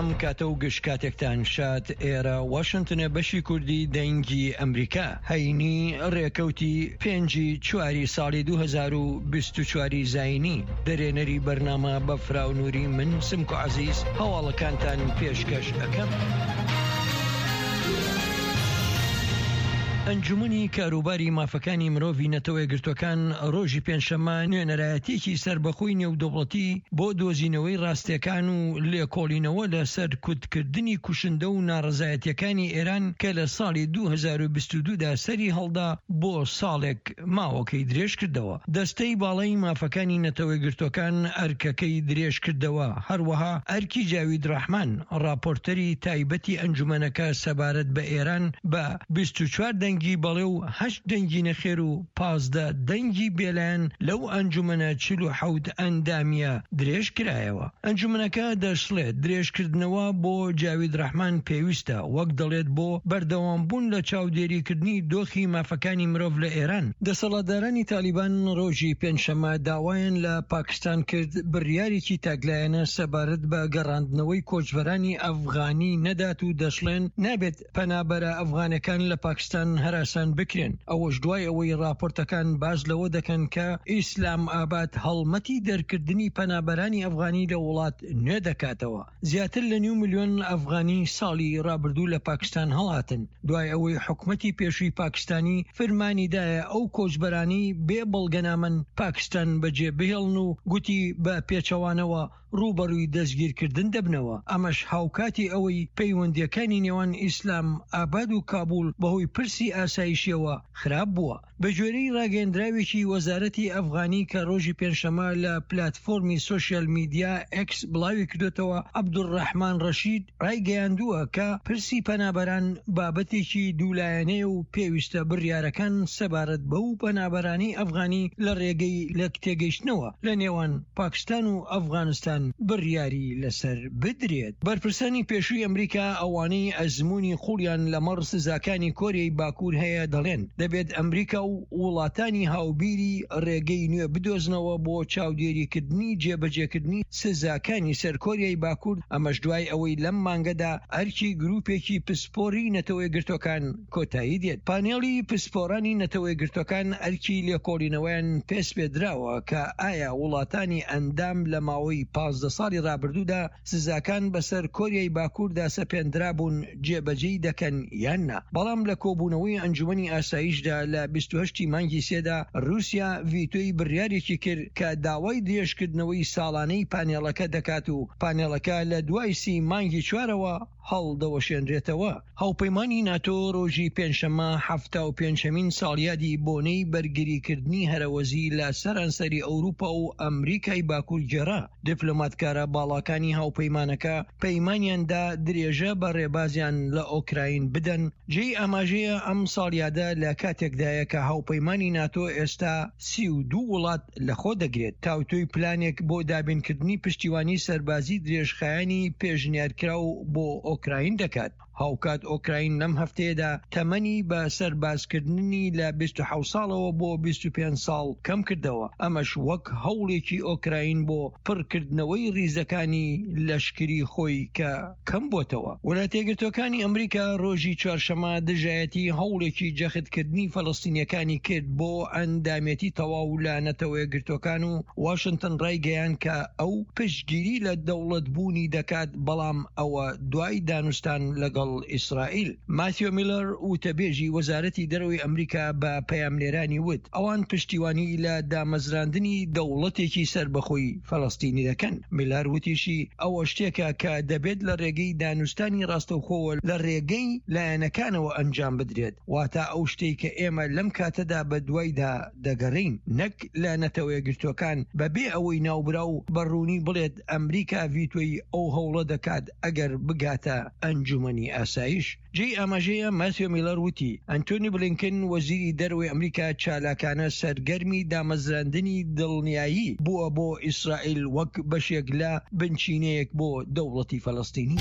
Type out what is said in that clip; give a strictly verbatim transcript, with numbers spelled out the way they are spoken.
ئەم کاتە و گشت کاتێکتان شاد. ئێرە واشنتنە، بەشی کوردی دەنگی ئەمریکا. هەینی ڕێکەوتی پێنجی چواری ساڵی دوو هەزار و بیست و چوار زایینی. دەرێنەری بەرنامە بە فراونووری، من سمکو عەزیز هەواڵەکانتان پێشکەش ئەەکەم. ئەنجومنی کاروباری مافەکانی مرۆڤی نەتەوە یەکگرتوەکان ڕۆژی پێنجشەممە نوێنەرایەتێکی سەربەخۆی نێودەوڵەتی بۆ دۆزینەوەی ڕاستیەکان و لێکۆڵینەوە لە سەرکوتکردنی کوشندە و ناڕەزایەتیەکانی ئێران کە لە ساڵی دوو هەزار و بیست و دوو دا سەری هەڵدا بۆ ساڵێک ماوەکەی درێژ کردەوە. دەستەی باڵای مافەکانی نەتەوە یەکگرتوەکان ئەرکەکەی درێژ کردەوە. هەروەها ئەرکی جاوید ڕەحمان، راپۆرتەری تایبەتی ئەنجومەنەکە سەبارەت بە ئێران، بە بیست و چوار دەنگی بەڵێ و هەشت دەنگی نەخێر و پازدە دەنگی بێلایەن لەو ئەنجومەنە چل و حەوت ئەندامیە درێژ کرایەوە. ئەنجومەنەکە دەشڵێت درێژکردنەوە بۆ جاوید ڕەحمان پێویستە، وەک دەڵێت بۆ بەردەوامبوون لە چاودێریکردنی دۆخی مافەکانی مرۆڤ لە ئێران. دەسەڵاتدارانی تالیبان ڕۆژی پێنجشەممە داوایان لە پاکستان کرد بڕیارێکی تاکلایەنە سەبارەت بە گەڕاندنەوەی کۆچبەرانی ئەفغانی نەدات و دەشڵێن نابێت پەنابەرە ئەفغانەکان لە پاکستان هەراسان بکرێن، ئەوەش دوای ئەوەی راپۆرتەکان باس لەوە دەکەن کە ئیسلام ئاباد هەڵمەتی دەرکردنی پەنابەرانی ئەفغانی لە وڵات نوێ دەکاتەوە. زیاتر لە نیو ملیۆن ئەفغانی ساڵی ڕابردوو لە پاکستان هەڵاتن دوای ئەوەی حکومەتی پێشووی پاکستانی فرمانی دایە ئەو کۆچبەرانی بێ بەڵگەنامەن پاکستان بەجێ بهێڵن و گوتی بە پێچەوانەوە ڕووبەڕووی دەستگیرکردن دەبنەوە. ئەمەش هاوکاتی ئەوەی پەیوەندیەکانی نێوان ئیسلام ئاباد و کابول بەهۆی پرسی ئاسایشیەوە خراپ بووە. بەگوێرەی ڕاگەندراوێکی وەزارەتی ئەفغانی کە ڕۆژی پێنجشەممە لە پلاتفۆرمی سۆشیال میدیا ئێکس بڵاوی کردوتەوە، عەبدولڕەحمان ڕەشید ڕایگەیاندووە کە پرسی پەنابەران بابەتێکی دوولایەنەیە و پێویستە بڕیارەکان سەبارەت بەو پەنابەرانی ئەفغانی لە ڕێگەی لێکتێگەیشتنەوە لە نێوان پاکستان و ئەفغانستان بڕیاری لەسەر بدرێت. بەرپرسانی پێشووی ئەمریکا، ئەوانەی ئەزمموی قوڵیان لەمەڕ سزاکانی کۆریای باکوور هەیە، دەڵێن دەبێت ئەمریکا و وڵاتانی هاوبیری ڕێگەی نوێ بدۆزنەوە بۆ چاودێریکردنی جێبەجێکردنی سزاکانی سەر کۆریای باکوور. ئەمەش دوای ئەوەی لەم مانگەدا ئەرکی گروپێکی پسپۆری نەتەوە یەکگرتوەکان کۆتایی دێت. پانێڵی پسپۆرانی نەتەوە یەکگرتوەکان ئەرکی لێکۆڵینەوەیان پێسپێدراوە کە ئایا وڵاتانی ئەندام لە ماوەی پازدە ساڵی ڕابردوودا سزاکان بەسەر کۆریای باکووردا سەپێندرابوون جێبەجێی دەکەن یان نا. بەڵام لە کۆبوونەوەی ئەنجومەنی ئاسایشدا لە بیست و هەشت مانگی سێدا، رووسیا ڤیتۆی بڕیارێکی کرد کە داوای درێژکردنەوەی ساڵانەی پانێڵەکە دەکات و پانێڵەکە لە دوای سی مانگی چوارەوە هەڵدەوەشێنرێتەوە. هاوپەیمانی ناتۆ ڕۆژی پێنجشەممە حەفتا و پێنجهەمین ساڵیادی بۆنەی بەرگریکردنی هەرەوەزی لە سەرانسەری ئەوروپا و ئەمریکای باکوور گێڕا. دیپلۆماتکارە باڵاکانی هاوپەیمانەکە پەیمانیاندا درێژە بە ڕێبازیان لە ئۆکراین بدەن. جێی ئاماژەیە ئەم ساڵیادە لە کاتێکدایە کە هاوپەیمانی ناتۆ ئێستا سی و دوو وڵات لەخۆ دەگرێت، تاوتوێی پلانێک بۆ دابینکردنی پشتیوانی سەربازی درێژخایەنی پێشنیارکراو بۆ ئۆکراین دەکات. هاوکات ئۆکراین لەم هەفتەیەدا تەمەنی بە سەربازکردنی لە بیست و حەوت ساڵەوە بۆ بیست و پێنج ساڵ کەم کردەوە، ئەمەش وەک هەوڵێکی ئۆکراین بۆ پڕکردنەوەی ریزەکانی لەشکری خۆی کە کەم بۆتەوە. وڵاتە یەکگرتوەکانی ئەمریکا ڕۆژی چوارشەمە دژایەتی هەوڵێکی جەختکردنی فەلەستینیەکانی کرد بۆ ئەندامێتی تەواو لە نەتەوە یەکگرتوەکان و واشنتن ڕایگەیان کە ئەو پشتگیری لە دەوڵەت بوونی دەکات، بەڵام ئەوە دوای دانوستان لەگەڵ ئیسرائیل. ماتیۆ میلەر، وتەبێژی وەزارەتی دەرەوەی ئەمریکا، بە پەیامنێرانی وت ئەوان پشتیوانی لە دامەزراندنی دەوڵەتێکی سەربەخۆی فەلەستینی دەکەن. میلەر وتیشی ئەوە شتێکە کە دەبێت لە ڕێگەی دانوستانی ڕاستەوخۆوە لە ڕێگەی لایەنەکانەوە ئەنجام بدرێت، واتە ئەو شتێک کە ئێمە لەم کاتەدا بە دوایدا دەگەڕین، نەک لە نەتەوە یەکگرتوەکان، بەبێ ئەوەی ناوبراو بە ڕوونی بڵێت ئەمریکا ڤیتۆی ئەو هەوڵە دەکات ئەگەر بگاتە ئەنجومەنی ئاسایش. جێی ئاماژەیە ماسیۆ میلەر وتی ئەنتۆنی بلینکن، وەزیری دەرەوەی ئەمریکا، چالاکانە سەرگەرمی دامەزراندنی دڵنیایی بووە بۆ ئیسرائیل وەک بەشێک لە بنچینەیەک بۆ دەوڵەتی فەلەستینی.